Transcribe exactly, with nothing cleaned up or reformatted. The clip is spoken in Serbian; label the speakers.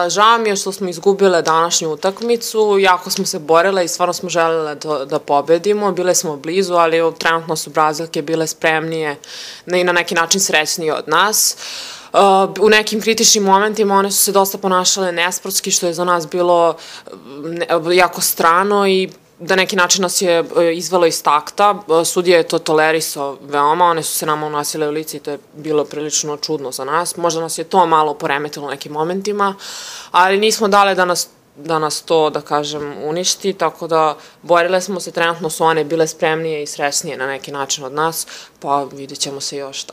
Speaker 1: Žao mi je što smo izgubile današnju utakmicu, jako smo se borile i stvarno smo želele da, da pobedimo, bile smo blizu, ali trenutno su Brazilke bile spremnije i na neki način srećnije od nas. U nekim kritičnim momentima one su se dosta ponašale nesportski, što je za nas bilo jako strano i da neki način nas je izvelo iz takta. Sudija je to tolerisao veoma, one su se nama unosile u lice i to je bilo prilično čudno za nas. Možda nas je to malo poremetilo u nekim momentima, ali nismo dale da nas da nas to, da kažem, uništi, tako da borile smo se, trenutno su one bile spremnije i srećnije na neki način od nas, pa vidjet ćemo se još tako.